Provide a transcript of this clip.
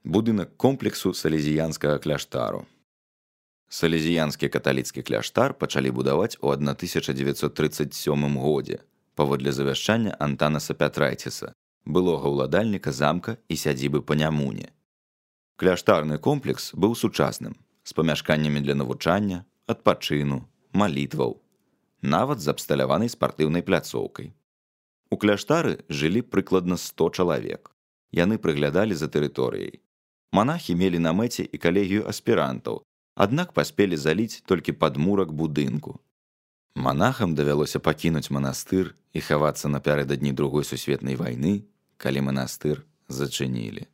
Будынак комплексу салезіянскага кляштару. Салезіянскі каталіцкі кляштар пачалі будаваць у 1937 годзе паводле завяшчання Антанаса Пятрайціса, былога ўладальніка замка і сядзібы па Нямуне. Кляштарны комплекс быў сучасным, з памяшканнямі для навучання, адпачыну, малітваў, нават з абсталяванай спартыўнай пляцоўкай. У кляштары жылі прыкладна 100 чалавек. Яны прыглядалі за тэрыторыяй. Манахі мелі на мэце і калегію аспірантаў, аднак паспелі заліць толькі падмурак будынку. Манахам давялося пакінуць манастыр і хавацца напярэдадні Другой сусветнай вайны, калі манастыр зачынілі.